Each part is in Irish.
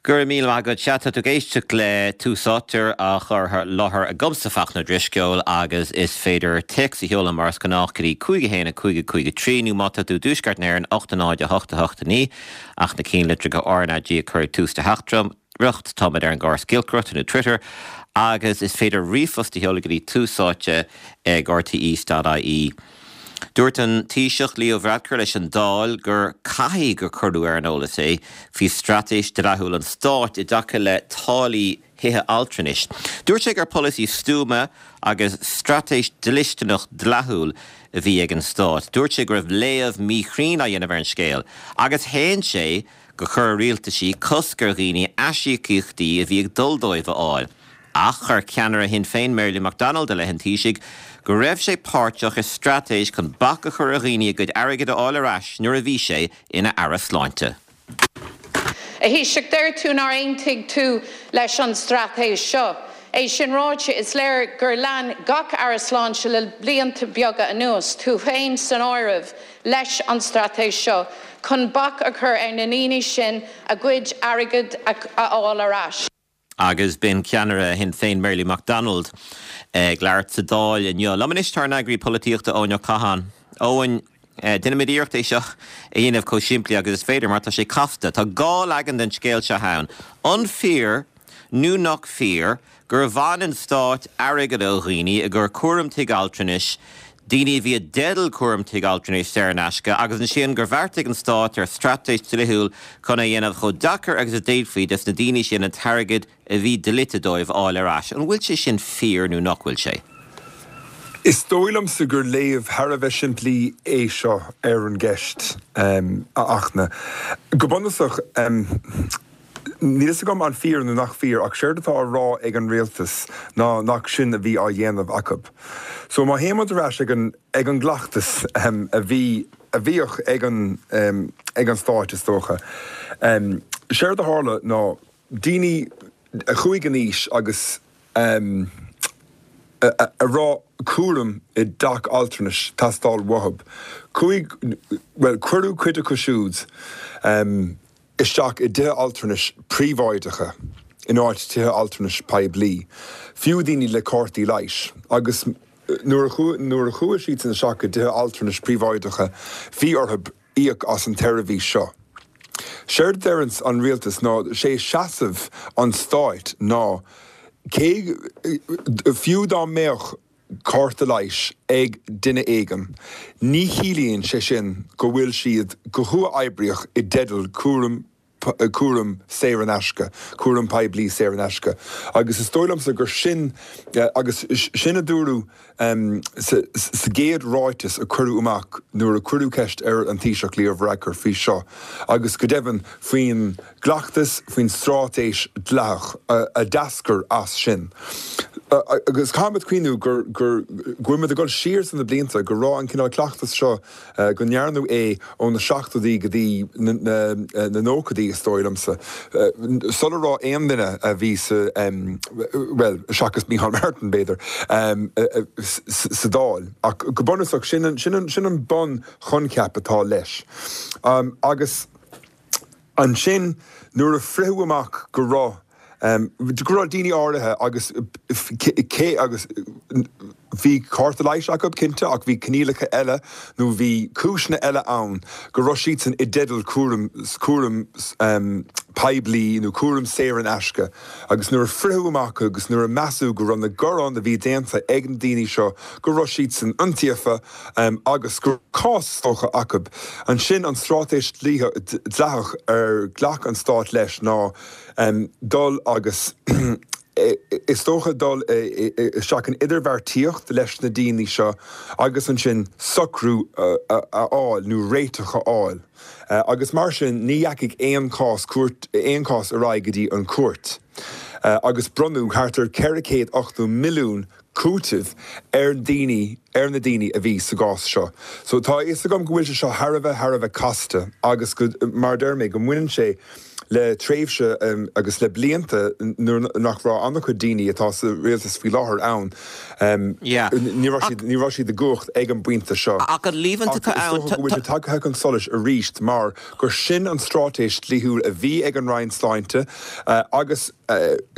Go raibh míle maith agat. Sea, tá tú ag éisteacht le Tús Áite á chur i láthair agamsa, Fachtna Ó Drisceoil, agus is féidir téacs a sheoladh mar is gnách go dtí 5 1 5 5 3 nó má tá tú i dTuaisceart na hÉireann, 8 0 8 8 9 ach na cinnlitreacha RnaG a chur ag tús do theachtaireacht. Táimid ar an gcóras giolcaireachta nó Twitter agus is féidir ríomhphost a sheoladh go dtí túsáite ag rte.ie. Dúirt an Taoiseach Leo Varadkar leis an Dáil gur caithfidh gur cuireadh ar an eolas é faoi straitéis dleathúil an stáit i dtaca le táillí thithe altranais. Dúirt sé gur polasaí stuama agus straitéis dlisteanach dleathúil a bhí ag an stát. Dúirt sé go raibh léamh míchruinn á dhéanamh ar an scéal agus shéan sé gur chuir a rialtaisí cosc ar dhaoine aisíocaíochtaí a bhí ag dul dóibh a fháil. Ach chuir ceannaire Shinn Féin Mary Lou McDonald i leith an Taoisigh go raibh sé páirteach i straitéis chun bac a chur ar dhaoine a gcuid airgid a fháil ar ais nuair a bhí sé ina Aire Sláinte. A Thaoisigh, deir tú nár aontaigh tú leis an straitéis seo. É sin ráite, is léir gur lean gach Aire Sláinte le blianta beaga anuas, tú féin san áireamh, leis an straitéis seo chun bac a chur ar na ndaoine sin a gcuid airgid a fháil ar ais. Agus b'in ceannaire Shinn Féin Mary Lou McDonald ag labhairt sa Dáil inniu. Liom anois tá ár n-eagraí polaitíochta Eoin Ó Catháin. Eoin, déanfaimid iarracht é seo a dhéanamh chomh simplí agus is féidir mar tá sé casta. Tá dhá leagan den scéal seo ann. An fíor nó nach fíor gur bhain an stát airgead ó dhaoine i gcomhair cúram tigh altranais, daoine a bhí i dteideal cúram tigh altranais saor in aisce, agus ansin gur bheartaigh an stát ar straitéis dlíthiúil chun é a dhéanamh chomh deacair agus a d'fhéadfaí des na daoine sin an t-airgead a bhí dlite dóibh a fháil ar ais. An bhfuil sé sin fíor nó nach bhfuil sé? Is dóigh liomsa gur léamh thar a bheith simplí é seo ar an gceist, a Fhachtna. Go bunúsach, Níl fhios agam an fíor nó nach fíor ach séard atá á rá ag an rialtas ná nach sin a bhí á dhéanamh acu. So má théann muid ar ais ag an ag an gcleachtas a bhí a bhíodh ag an ag an stáit is dócha, séard a tharla ná daoine a chuaigh in aois agus a raibh cúram i dteach altranais teastáil uathu, chuaigh, bhuel cuireadh cuid acu siúd isteach i dtithe altranais príobháideacha in áit tithe altranais poiblí, fiú daoine le cártaí leighis. Agus nuair a nuair a chuaigh siadsan isteach i dtithe altranais príobháideacha bhí orthu íoc as an tseirbhís seo. Séard a deireanns an rialtas ná sé seasamh an stáit ná cé fiú dá mbeadh cárta leighis ag duine éigin, ní chiallaíonn sé sin go bhfuil siad go huathoibríoch i dteideal cúram cúram saor in aisce, cúram poiblí saor in aisce. Agus is dóigh liomsa gur sin agus sin a dúradh sa sa gcéad ráiteas a cuireadh amach nuair a cuireadh ceist ar an Taoiseach Leo Varadkar faoi seo agus go deimhin faoin gcleachtas, faoin straitéis dleathach a d'eascair as sin. Agus caithfimid cuimhniú gur, gur, go bhfuil muid ag dul siar sna blianta, go raibh an cineál cleachtas seo, go ndearnadh é ó na seachtóidí go dtí na nóchaidí, is dóigh liomsa, sula raibh aon duine a bhí sa, bhuel, seachas Micheál Martin, b'fhéidir, sa Dáil. Ach go bunúsach, sin an, sin an, sin an bunchoincheap atá leis. Agus. Ansin, nuair a fritheadh amach go raibh, go raibh daoine áirithe agus cé agus bhí cárta leighis acu, cinnte, ach bhí coinníollacha eile nó bhí cúiseanna eile ann go raibh siadsan i dteideal cúram, cúram poiblí nó cúram saor in aisce. Agus nuair a fritheadh amach agus nuair a measadh go raibh na gearáin a bhí déanta ag na daoine seo go raibh siadsan iontaofa agus go raibh cás is dócha acu, ansin an straitéis dleathach ar ghlac an stát leis ná dul agus is dócha dul isteach in idirbheartaíocht leis na daoine seo agus ansin socrú a fháil nó réiteach a fháil. Agus mar sin ní dheachaigh aon chás cúirt aon chás ar aghaidh go dtí an chúirt. Agus bronnadh thart ar 480 milliún cúitimh ar daoine ar na daoine a bhí sa gcás seo. So tá a fhios agam go bhfuil sé seo thar a bheith thar a bheith casta agus go mar a deir mé go mbaineann sé. Le tréimhse agus le blianta nuair nach raibh an-chuid daoine atá sa rialtas faoi láthair ann, ní raibh siad, ní raibh siad i gcumhacht ag an bpointe seo. Ach an líomhaint atá ann. Is dócha go bhfuil sé tagtha chun solais arís mar gur sin an straitéis dlíthiúil a bhí ag an Roinn Sláinte agus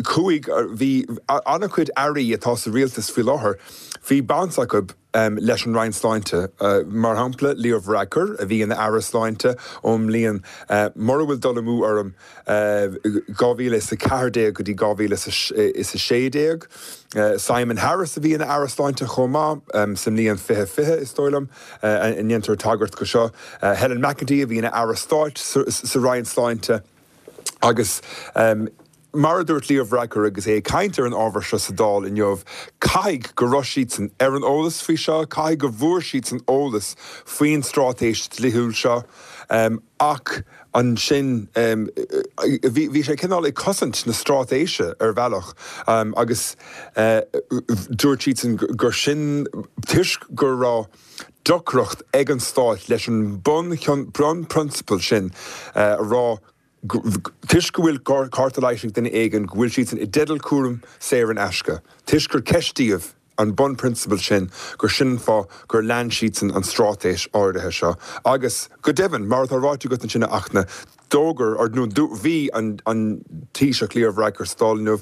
chuaigh, bhí an-chuid airí atá sa rialtas faoi láthair, bhí baint acu leis an Roinn Sláinte. Mar shampla, Leo Varadkar, a bhí ina Aire Sláinte ón mbliain, mura bhfuil dul amú orm, 2014 go dtí 2016. Simon Harris, a bhí ina Aire Sláinte chomh maith sa mbliain 2020, is dóigh liom, a ndéantar tagairt go seo. Helen McEntee, a bhí ina Aire Stáit sa Roinn Sláinte. Agus mar a dúirt Leo Varadkar agus é ag caint ar an ábhar seo sa Dáil inniu, caithfidh go raibh siadsan ar an eolas faoi seo, caithfidh go bhfuair siadsan eolas faoin straitéis dlíthiúil seo ach ansin bhí sé cineál ag cosaint na straitéise ar bhealach agus dúirt siadsan gur sin toisc go raibh deacracht ag an Stát leis an bunphrionsabal sin a rá toisc go bhfuil cárta leighis ag duine éigin go bhfuil siadsan i dteideal cúram saor in aisce, toisc gur ceistíodh an bunphrionsabal sin gur sin an fáth gur lean siadsan an straitéis áirithe seo. Agus go deimhin, mar atá ráite agat ansin a Fhachtna, D'fhógair, or nó bhí an Taoiseach Leo Varadkar sa Dáil inniu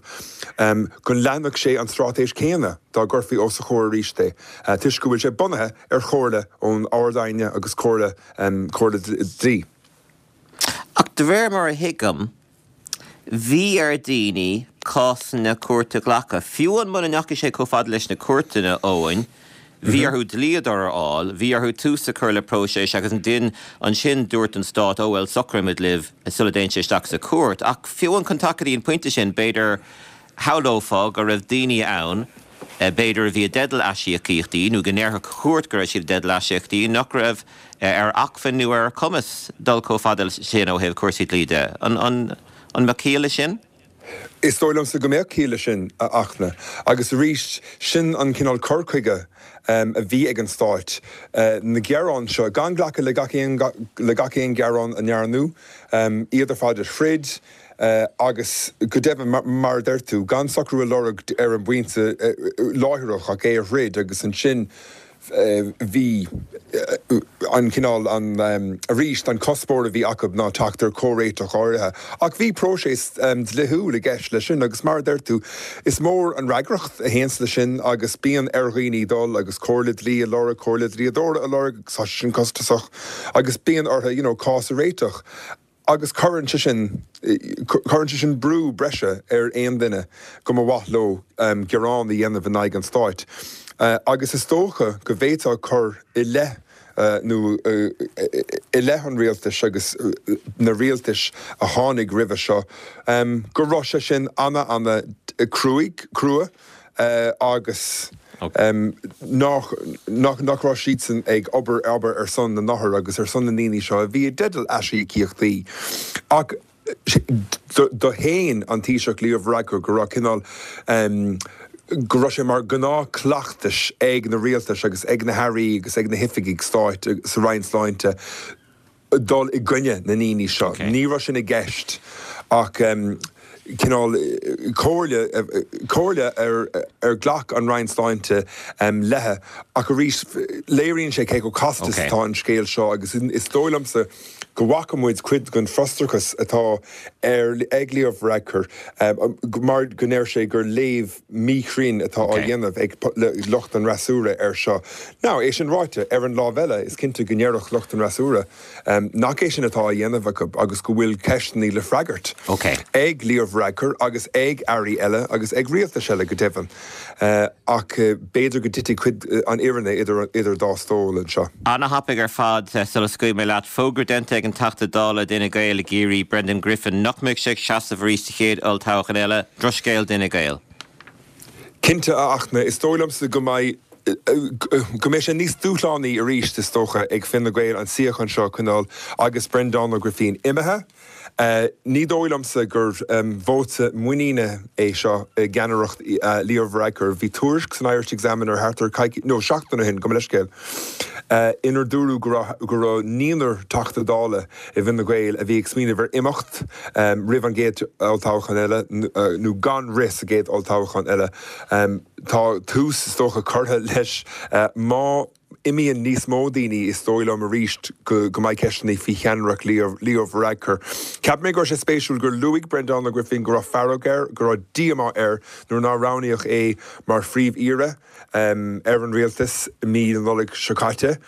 go leanfadh sé an straitéis chéanna dá gcuirfí os a chomhair arís é, toisc go bhfuil sé bunaithe ar chomhairle ón Ard-Aighne agus comhairle comhairle dlí. Ach de réir mar a thuigim, bhí ar daoine cásanna cúirte a ghlacadh. Fiú amháin muna ndeachaigh sé chomh fada leis na cúirteanna, Eoin, bhí orthu dlíodóir a fháil, bhí orthu tús a chur le próiseas agus ansin dúirt an stát, ó bhuel, socróimid libh sula dtéann sé isteach sa chúirt. Ach fiú amháin chun teacht go dtí an pointe sin, b'fhéidir, shamhlófá go raibh daoine ann, b'fhéidir, a bhí i dteideal aisíocaíochtaí nó go ndéarfadh cúirt go raibh siad i dteideal aisíocaíochtaí, nach raibh ar acmhainn nó ar chumas dul chomh fada sin ó thaobh cúrsaí dlí de. An mbeadh ciall leis sin? Is dóigh liomsa go mbeadh ciall leis sin, a Fhachtna. Agus arís, sin an cineál cur chuige a bhí ag an Stát. Na gearáin seo, gan glacadh le gach aon le gach aon ghearán a ndearnadh, iad ar fad a throid, agus go deimhin, mar a deir tú, gan socrú a lorg ar an bpointe láithreach ach é a throid agus ansin bhí an cineál, an, arís, an cuspóir a bhí acu ná teacht ar chomhréiteach áirithe. Ach bhí próiseas dlíthiúil i gceist leis sin agus mar a deir tú, is mór an fhreagracht a théanns leis sin agus bíonn ar dhaoine dul agus comhairle dlí a lorg, comhairle dlíodóra a lorg agus tá sé sin costasach agus bíonn orthu, you know, cás a réiteach. Agus cuireann sé sin, cuireann sé sin brú breise ar aon duine go mba mhaith leo gearán a dhéanamh in aghaidh an stáit. Agus is dócha go bhféadfá cur i leith nó i leith an rialtais agus na rialtais a tháinig roimhe seo go raibh sé sin ana ana cruaidh, crua. agus nach nach raibh siadsan ag obair obair ar son na n-othar agus ar son na ndaoine seo a bhí i dteideal aisíocaíochtaí. Ach do shéan an Taoiseach Leo Varadkar go raibh cineál go raibh sé mar ghnáthchleachtas ag na rialtais agus ag na hairí agus ag na hoifigigh stáit sa Roinn Sláinte dul i gcoinne na ndaoine seo. Ní raibh sin i gceist ach cineál comhairle, comhairle ar ar ghlac an Roinn Sláinte léi. Ach arís, léiríonn sé cé chomh casta is atá an scéal seo agus is dóigh liomsa go bhfaca muid cuid den frustrachas atá ar ag Leo Varadkar mar go ndeir sé gur léamh míchruinn atá á dhéanamh ag lucht an fhreasúra air seo. Now, é sin ráite, ar an lámh eile, is cinnte go ndéarfadh lucht an fhreasúra nach é sin atá á dhéanamh acu agus go bhfuil ceisteanna le freagairt ag Leo Varadkar agus ag airí eile agus ag rialtais eile go deimhin. Ach b'fhéidir go dtitfidh cuid an fhírinne idir dá stól anseo. Ana-thapaidh ar fad sula scaoilfidh mé leat. Fógra déanta ag an Teachta Dála d'Fhine Gael i gCiarraí, Brendan Griffin, nach mbeidh sé ag seasamh arís sa chéad olltoghchán eile. Drochscéal d'Fhine Gael. Cinnte, a Fhachtna, is dóigh liomsa go mbeidh. Go mbeidh sé níos dúshlánaí arís, is dócha, ag Fine Gael an suíochán seo a choinneáil agus Breandán Ó Grifín imithe. Ní dóigh liomsa gur vóta muiníne é seo i gceannaireacht Leo Varadkar. Bhí tuairisc san Irish Examiner thart ar coicís, nó seachtain ó shin, gabh mo leithscéal, inar dúradh go raibh go raibh naonúr Teachta Dála i bhFine Gael a bhí ag smaoineamh ar imeacht roimh an gcéad olltoghchán eile nó gan rith sa gcéad olltoghchán eile. Tá tús, is dócha, curtha leis. Má imíonn níos mó daoine, is dóigh liom arís go mbeidh ceisteanna faoi cheannaireacht Leo Varadkar. Cheap mé go raibh sé spéisiúil gur luaigh Breandán Ó Grifín go raibh fearg air, go raibh díomá air nuair nár roghnaíodh é mar Phríomh-Aoire ar an rialtas i mí na Nollag seo caite.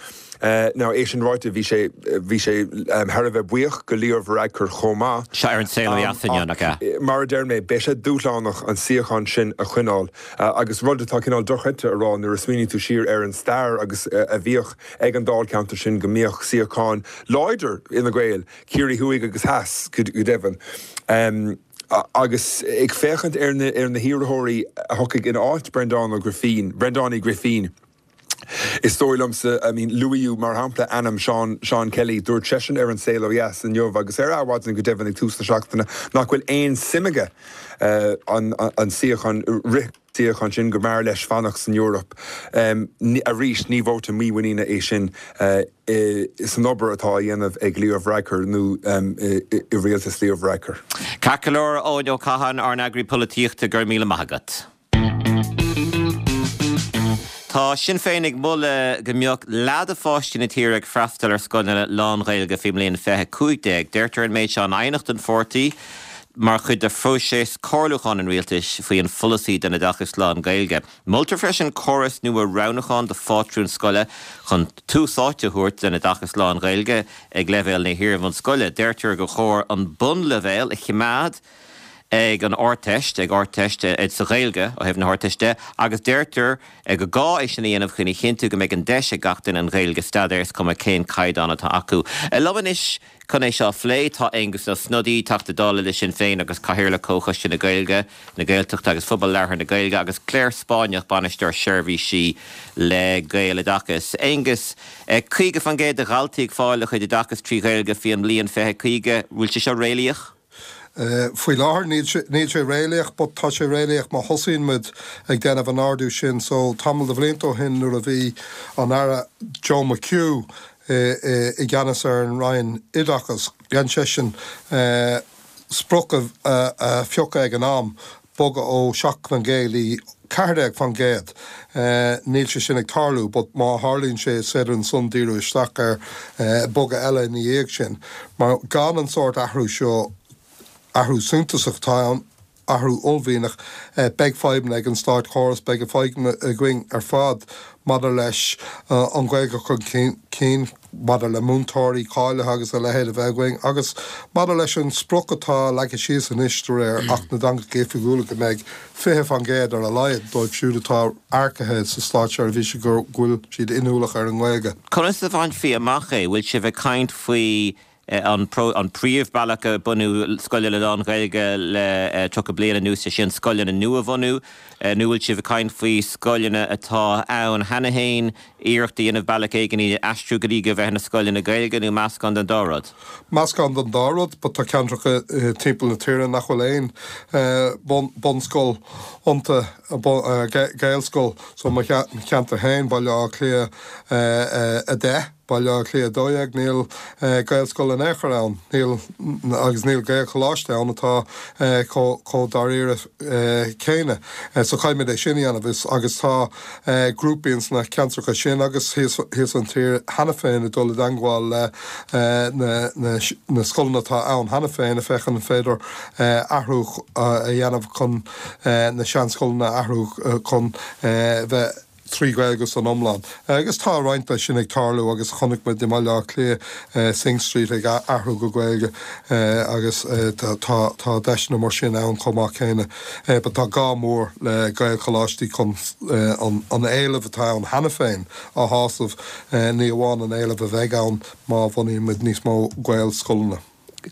Now, é sin ráite, bhí sé, bhí sé thar a bheith buíoch go Leo Varadkar chomh maith. Seo ar An Saol Ó Dheas inniu, nach ea? Mar a deir mé, beidh sé dúshlánach an suíochán sin a choinneáil agus rud atá cineál dochreidte a rá nuair a smaoiníonn tú siar ar an stair agus a bhíodh ag an dáilcheantar sin go mbíodh suíocháin láidir Fhine Gael, Ciarraí Thuaidh agus Theas go deimhin. Agus ag féachaint ar na hiarrthóirí a thiocfaidh in áit Breandán Ó Grifín, Breandán Uí Ghrifín, Is dóigh liomsa, I mean, luaíodh mar shampla ainm Seán, Seán Kelly, dúirt seisean ar An Saol Ó Dheas inniu agus ar Adhmhaidin go deimhin ag tús na seachtaine nach bhfuil aon suim aige an, an suíochán, rith suíochán sin, go mb'fhearr leis fanacht san Eoraip. Arís, ní vóta mímhuiníne é sin san obair atá á dhéanamh ag Leo Varadkar nó i rialtas Leo Varadkar. Ceart go leor, Eoin Ó Catháin, ár n-eagraí polaitíochta, go raibh míle maith agat. Tá Sinn Féin ag moladh go mbeadh leath de pháistí na tíre ag freastal ar scoileanna lán-Ghaeilge faoin mbliain 2015. Deirtear an méid seo in aighneacht don pháirtí mar chuid de phróiseas comhairliúcháin an rialtais faoi an pholasaí don oideachas lán-Ghaeilge. Moltar freisin córas nua roghnúcháin do phátrúin scoile chun tús áite a thabhairt don oideachas lán-Ghaeilge ag leibhéal na hiar-bhunscoile. Deirtear gur chóir an bunleibhéal a choimeád ag an Ardteist, ag Ardteist sa Ghaeilge ó thaobh na hArdteiste de, agus deirtear gur gá é sin a dhéanamh chun a chinntiú go mbeidh an deis ag gach duine an Ghaeilge a staidéar, is cuma cén caighdeán atá acu. Liom anois chun é seo a phlé tá Aengus Ó Snodaigh, Teachta Dála le Sinn Féin agus Cathaoirleach Comhchoiste na Gaeilge, na Gaeltachta agus Phobal Labhartha na Gaeilge, agus Claire Spáinneach, Bainisteoir Seirbhísí le Gaeloideachas. Aengus, 50% de dhaltaí ag fáil a chuid oideachais trí Ghaeilge faoi an mbliain 2050, bhfuil sé seo réalaíoch? Faoi láthair níl sé, níl sé réalaíoch but tá sé réalaíoch má thosaíonn muid ag déanamh an ardú sin. So tamall de bhlianta ó shin nuair a bhí an Aire Joe McHugh i gceannas ar an Roinn Oideachais, dhein seisean sprioc a phiocadh ag an am, bogadh ó 7% go dtí 14%. Níl sé sin ag tarlú but má tharlaíonn sé is féidir ansan díriú isteach ar bogadh eile ina dhiaidh sin. Mar gan an sórt athrú seo, athrú suntasach atá ann, athrú uaillmhianach, beidh fadhbanna ag an státchóras, beidh fadhbanna againn ar fad maidir leis an Ghaeilge a chur chun cinn, maidir le múinteoirí cáilithe agus a leithéid a bheith againn, agus maidir leis an sprioc atá leagtha síos anois de réir Acht na dTeangacha Oifigiúla go mbeidh 20% ar a laghad dóibh siúd atá earcaithe sa státseirbhís go bhfuil siad inniúlach ar an nGaeilge. Conas a bhainfí amach é? Bhfuil sibh ag caint faoi an príomhbhealach a bunú scoileanna lán-Ghaeilge le 30 bliain anuas, sé sin scoileanna nua a bhunú, nó bhfuil sibh ag caint faoi scoileanna atá ann cheana féin, iarracht a dhéanamh bealach éigin iad a aistriú go dtí go bheith ina scoileanna Gaeilge, nó meascán den dá rud? Meascán den dá rud, but tá ceantracha timpeall na tíre nach bhfuil aon bunscoil iontu, Gaelscoil, so mo cheantar féin, Baile Átha Cliath 10. Baile Átha Cliath 12, níl Gaelscoil in aon chor ann, níl, agus níl Gaelcholáiste ann atá chomh dáiríre céanna. So caithfimid é sin a dhéanamh. Is, agus tá grúpaí ins na ceantracha sin agus thíos, thíos an tír cheana féin ag dul i dteangmháil le na, na, na scoileanna atá ann cheana féin ag féachaint an féidir athrú a dhéanamh chun na seanscoileanna a athrú chun bheith 3 Ghaeilge san iomlán. Agus tá roinnt de sin ag tarlú agus chonaic muid i mBaile Átha Cliath Synge Street ag athrú go Gaeilge agus tá deiseanna mar sin ann chomh maith céanna. But tá gá mór le Gaelcholáistí chun an éileamh atá ann cheana féin a shásamh, ní amháin an éileamh a bheidh ann má bhunaíonn muid níos mó Gaelscoileanna.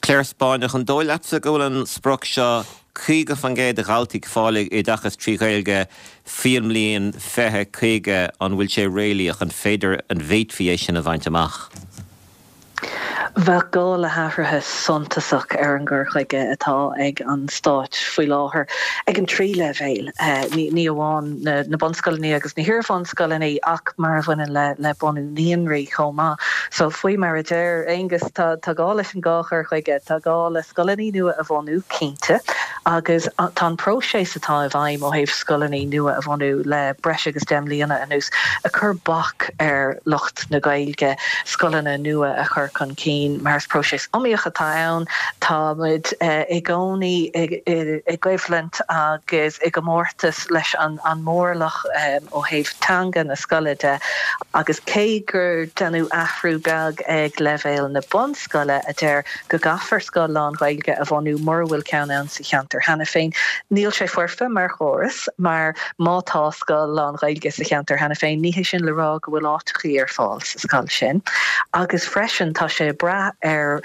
Claire Spáinneach, an dóigh leatsa go bhfuil an sprioc seo. 50% de dhaltaí ag fáil oideachas trí Ghaeilge faoin mbliain 2050, an bhfuil sé réalaíoch? An féidir, an bhféadfaí é sin a bhaint amach? Bheadh gá le hathruithe suntasach ar an gcur chuige atá ag an Stát faoi láthair ag an trí leibhéal, ní amháin na bunscoileanna agus na hiar-bhunscoileanna ach mar a bhaineann le bunú naíonraí chomh maith. So faoi mar a deir Aengus, tá gá leis an dhá chur chuige. Tá gá le scoileanna nua a bhunú, cinnte, agus tá an próiseas atá i bhfeidhm ó thaobh scoileanna nua a bhunú le breis agus 10 mbliana anuas ag cur bac ar lucht na Gaeilge scoileanna nua a chur chun cinn mar is próiseas iomaíoch atá ann. Táimid i gcónaí i gcoimhlint agus i gcomórtas leis an mórlach ó thaobh teanga na scoile de agus cé gur deineadh athrú beag ag leibhéal na bunscoile a deir go gcaithfear scoil lán-Ghaeilge a bhunú mura bhfuil ceann ann sa cheantar cheana féin, níl sé foirfe mar chóras mar má tá scoil lán-Ghaeilge sa cheantar cheana féin, ní hé sin le rá go bhfuil áiteachaí ar fáil sa scoil sin. Agus freisin tá sé ag brath ar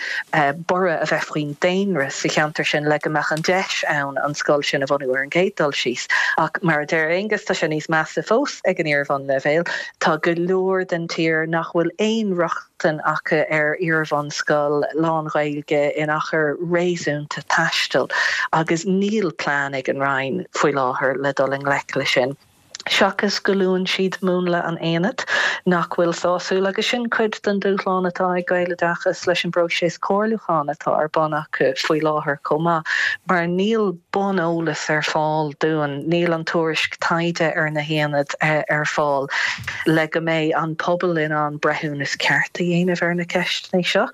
borradh a bheith faoin daonra sa cheantar sin le go mbeadh an deis ann an scoil sin a bhunú ar an gcéad dul síos. Ach mar a deir Aengus, tá sé níos measa fós ag an iar-bhunleibhéal. Tá go leor den tír nach bhfuil aon rochtain acu ar iar-bhunscoil lán-Ghaeilge in achar réasúnta taistil agus níl plean ag an Roinn faoi láthair le dul i ngleic leis sin. Seachas go luann siad múnla an aonaid, nach bhfuil sásúil, agus sin cuid den dúshlán atá ag Gaeloideachas leis an bpróiseas comhairliúcháin atá ar bun acu faoi láthair chomh maith, mar níl buneolas ar fáil dúinn, níl an tuairisc taighde ar na haonaid ar fáil le go mbeidh an pobal in ann breithiúnas ceart a dhéanamh ar na ceisteanna seo.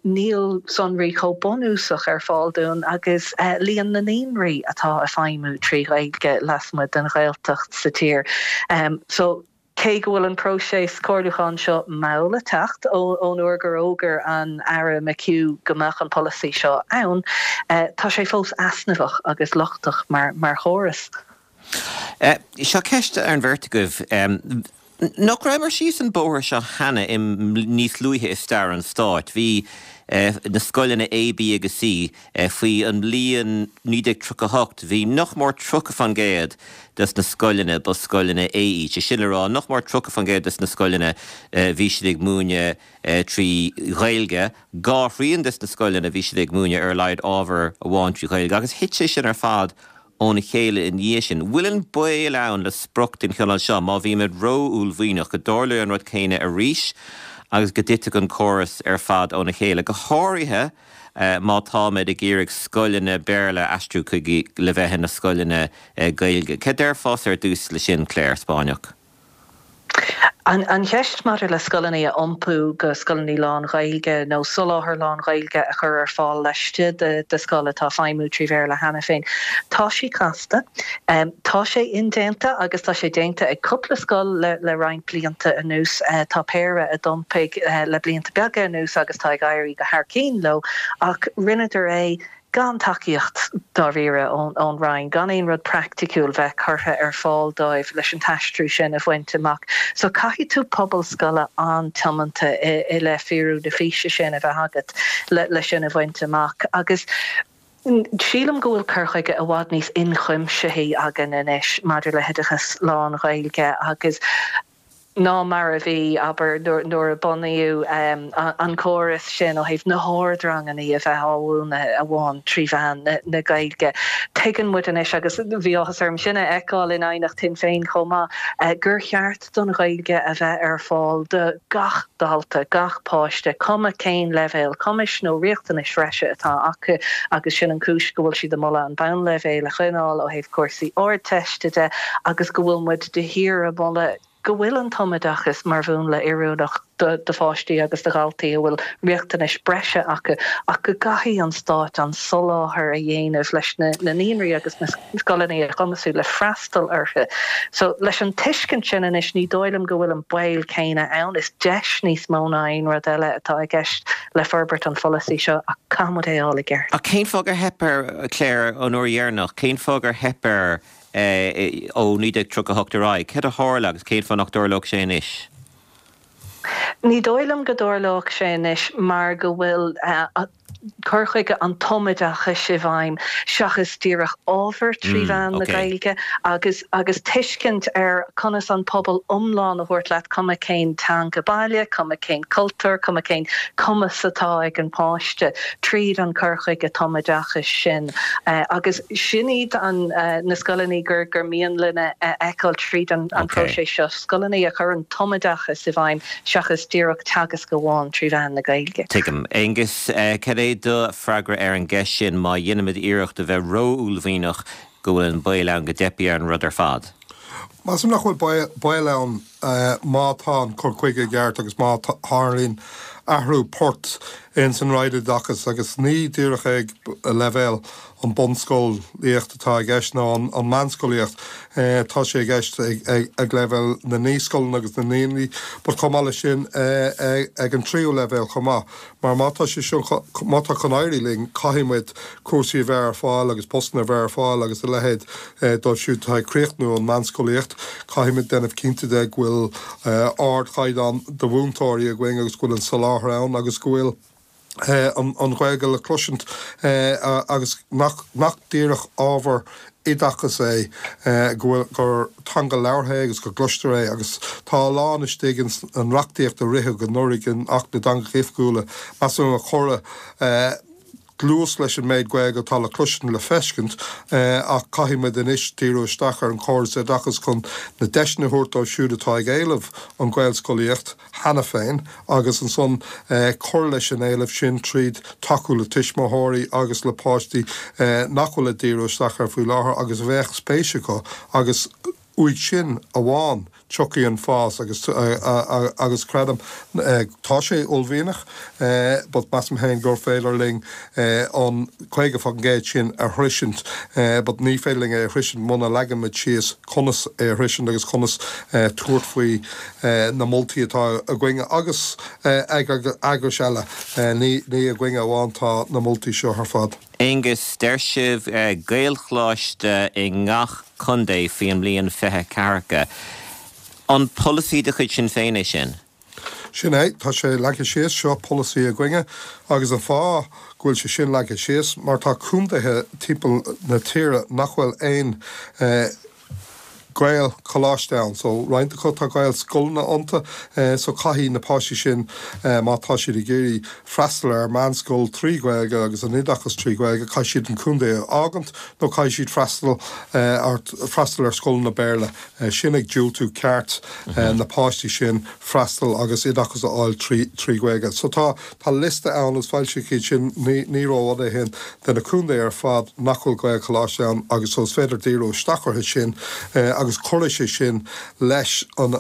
Níl sonraí chomh bunúsach ar fáil dúinn agus líon na naíonraí atá ag feidhmiú trí Ghaeilge lasmuigh den Ghaeltacht sa tír. So, cé go bhfuil an próiseas comhairliúcháin seo mall ag teacht ón uair gur fhógair an Aire McHugh go mbeadh an polasaí seo ann, tá sé fós easnamhach agus lochtach mar chóras. Seo ceist ar an bheirt agaibh. Nach rabhamar síos an bóthar seo cheana i níos luaithe i stair an stáit? Bhí na scoileanna A, B agus C faoi an mbliain 1938, bhí nach mór 30% des na scoileanna, ba scoileanna A iad, sé sin le rá, nach mór 30% des na scoileanna bhí siad ag múineadh trí Ghaeilge, dhá thrian des na scoileanna bhí siad ag múineadh ar a laghad ábhar amháin trí Ghaeilge agus thit sé sin ar fad óna chéile i ndiaidh sin. Bhfuil an baol ann le sprioc den chineál seo, má bhímid ró-uaillmhianach, go dtarlóidh an rud céanna arís agus go dtitfidh an córas ar fad óna chéile, go háirithe má táimid ag iarraidh scoileanna Béarla a aistriú chuig le bheith ina scoileanna Gaeilge? Cad déarfása ar dtús le sin, Clare Spáinneach? An cheist maidir le scoileanna a iompú go scoileanna lán-Ghaeilge nó soláthar lán-Ghaeilge a chur ar fáil laistigh de scoil atá ag feidhmiú trí Bhéarla cheana féin, tá sí casta. Tá sé indéanta agus tá sé déanta ag cúpla scoil le roinnt blianta anuas. Tá péire a d'iompaigh le blianta beaga anuas agus tá ag éirí go thar cinn leo ach rinneadar é gan tacaíocht dáiríre ón Roinn, gan aon rud praiticiúil bheith curtha ar fáil dóibh leis an t-aistriú sin a bhaint amach. So caithfidh tú pobal scoile an-tiomanta i leith fíorú na físe sin a bheith agat le sin a bhaint amach. Agus sílim go bhfuil cur chuige i bhfad níos ionchuimsithí againn anois maidir le hoideachas lán-Ghaeilge agus, ná mar a bhí, abair, nuair a bunaíodh an córas sin ó thaobh na hardranganna a bheith á mhúineadh amháin trí mheán na Gaeilge. Tuigeann muid anois, agus bhí áthas orm sin a fheiceáil in aighneacht Shinn Féin chomh maith, gur cheart don Ghaeilge a bheith ar fáil do gach dalta, gach páiste, cuma cén leibhéal cumais nó riachtanais bhreise atá acu agus sin an chúis go bhfuil siad ag moladh an bonnleibhéal a choinneáil ó thaobh cúrsaí Ardteiste de agus go bhfuil muid de shíor ag moladh go bhfuil an tumoideachas mar mhúnla oiriúnach do pháistí agus do dhaltaí a bhfuil riachtanais breise acu ach go gcaithfidh an Stát an soláthar a dhéanamh leis na naíonraí agus na scoileanna a chumasú le freastal orthu. So leis an tuiscint sin anois ní dóigh liom go bhfuil an baol céanna ann. Is deis níos mó ná aon rud eile atá i gceist le forbairt an pholasaí seo ach caithfidh muid é a fháil i gceart. Ach cén fáth gur theip air, Clare, an uair dheireanach? Cén fáth gur theip air ó 1938 ar aghaidh. Céard a tharla agus cén fáth nach dtarlódh sé anois? Ní dóigh liom go dtarlódh sé anois mar go bhfuil cur chuige an tumoideachais i bhfeidhm seachas díreach ábhar trí mheán na Gaeilge agus agus tuiscint ar conas an pobal iomlán a thabhairt leat, cuma cén teanga baile, cuma cén cultúr, cuma cén cumas atá ag an bpáiste tríd an cur chuige tumoideachais sin. Agus sin iad an na scoileanna gur gur mian linn a fheiceáil tríd an próiseas seo, scoileanna a chuireann tumoideachas i bhfeidhm seachas díreach teagasc amháin trí mheán na Gaeilge. Tuigim. Aengus, cad é do freagra ar an gceist sin, má dheinimid iarracht a bheith ró-uaillmhianach go bhfuil an baol ann go dteipfidh ar an rud ar fad? Measaim nach bhfuil baol ann má tá an cur chuige i gceart agus má tharlaíonn athrú poirt ins an Roinn Oideachais agus ní díreach ag leibhéal an bunscolaíocht atá i gceist nó an meánscolaíocht, tá sé i gceist ag leibhéal na naíscoileanna agus na naíonraí but chomh maith leis sin ag an tríú leibhéal chomh maith. Mar má tá sé seo, má tá chun éirí linn, caithfidh muid cúrsaí a bheith ar fáil agus postanna a bheith ar fáil agus a leithéid dóibh siúd atá ag críochnú an meánscolaíocht. Caithfidh muid déanamh cinnte de go bhfuil ardchaighdeán de mhúinteoirí againn agus go bhfuil an soláthar ann agus go bhfuil an Ghaeilge le cloisint agus nach díreach ábhar oideachais é, go bhfuil, gur teanga labhartha é agus go gcloistear é agus tá a lán istigh ins an reachtaíocht a ritheadh anuraidh in Acht na dTeangacha Oifigiúla, measaim, a chuirfeadh dlús leis an méid Gaeilge atá le cloisint le feiscint ach caithfidh muid anois díriú isteach ar an chóras oideachais chun na deiseanna a thabhairt dóibh siúd atá ag éileamh an Ghaelscolaíocht. cheana féin agus ansan cur leis an éileamh sin tríd tacú le tuismitheoirí agus le páistí nach bhfuil ag díriú isteach air faoi láthair agus a bheadh spéis acu agus uaidh sin amháin tiocfaidh an fás agus agus creidim tá sé uaillmhianach but measaim féin gur féidir linn an 50% sin a shroisint but ní féidir linn é a shroisint muna leagann muid síos conas é a shroisint agus conas tabhairt faoi na moltaí atá againne agus ag eagrais eile. Ní againne amháin tá na moltaí seo ar fad. Aengus, deir sibh Gaelcholáiste i ngach contae faoin mbliain 2040. An polasaí de chuid Sinn Féin é sin? Sin é, tá sé leagtha síos, seo polasaí againne agus an fáth go bhfuil sé sin leagtha síos mar tá contaetha timpeall na tíre nach bhfuil aon Gaelcholáiste ann. So roinnt acu tá Gaelscoileanna iontu so caithfidh na páistí sin má tá siad ag iarraidh freastal ar meánscoil trí Ghaeilge agus an oideachas trí Ghaeilge caithfidh siad an contae a fhágaint nó caithfidh siad freastal ar freastal ar scoileanna Béarla. Sin ag diúltú ceart na páistí sin freastal agus oideachas a fháil trí Ghaeilge. So tá Tá liosta ann, agus foilsíodh iad sin ní rófhada ó shin, de na contaetha ar fad nach bhfuil Gaelcholáiste ann agus so is féidir díriú isteach orthu sin agus cuirfidh sé sin leis an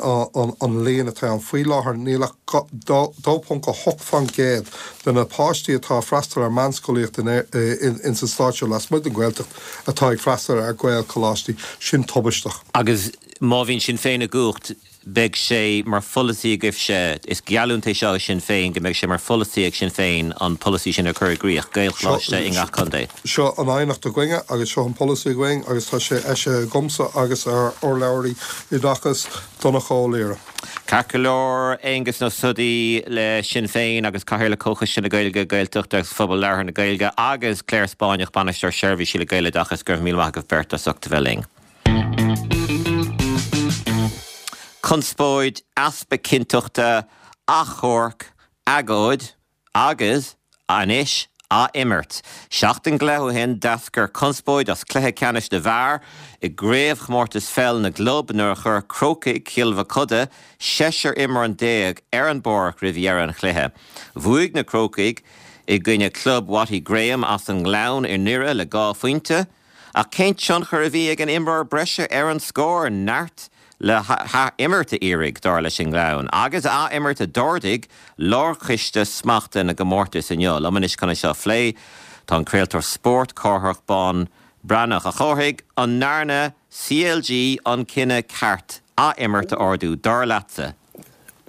líon atá ann. Faoi láthair níl ach 2.8% de na páistí atá ag freastal ar meánscolaíocht in sa stát seo lasmuigh den Ghaeltacht atá ag freastal ar Ghaelcholáistí. Sin tubaisteach. Agus má bhíonn Sinn Féin i gcumhacht, beidh sé mar pholasaí agaibhse, is geallúint é seo ag Sinn Féin, go mbeidh sé mar pholasaí ag Sinn Féin an polasaí sin a chur i gcrích, Gaelcholáiste i ngach contae. Seo an aighneacht againne agus seo an polasaí againn agus tá sé eisithe agamsa agus ár urlabhraí oideachais, Donncha Ó Laoghaire. Ceart go leor, Aengus Ó Snodaigh le Sinn Féin agus Cathaoirleach Chomhchoiste na Gaeilge, Gaeltachta agus Phobal Labhartha na Gaeilge agus Clare Spáinneach, Bainisteoir Seirbhísí le Gaeloideachas, go raibh míle maith agaibh beirt as ucht a bheith linn. Conspóid, easpa cinnteachta, achomharc, agóid agus, anois, ath-imirt. Seachtain go leith ó shin d'eascair conspóid as cluiche ceannais na bhfear i gcraobhchomórtas pheil na gclub nuair a chuir Crócaigh Chill Mochuda seisear imreoir déag ar an bpáirc roimh dheireadh an chluiche. Bhuaigh na Crócaigh i gcoinne club Watty Graham as an nGleann i nDoire le dhá phointe. Ach cén tionchar a bhí ag an imreoir breise ar an scór? Neart le hath-imirt a iarraidh, dar leis an nGleann. Agus ath-imirt a d'ordaigh Lárchoiste Smachta na gComórtas inniu. Liom anois chun é seo a phlé tá an craoltóir spóirt, Cárthach Bán Breathnach. A Chárthaigh, an ndearna CLG an cinneadh ceart ath-imirt a ordú, dar leatsa?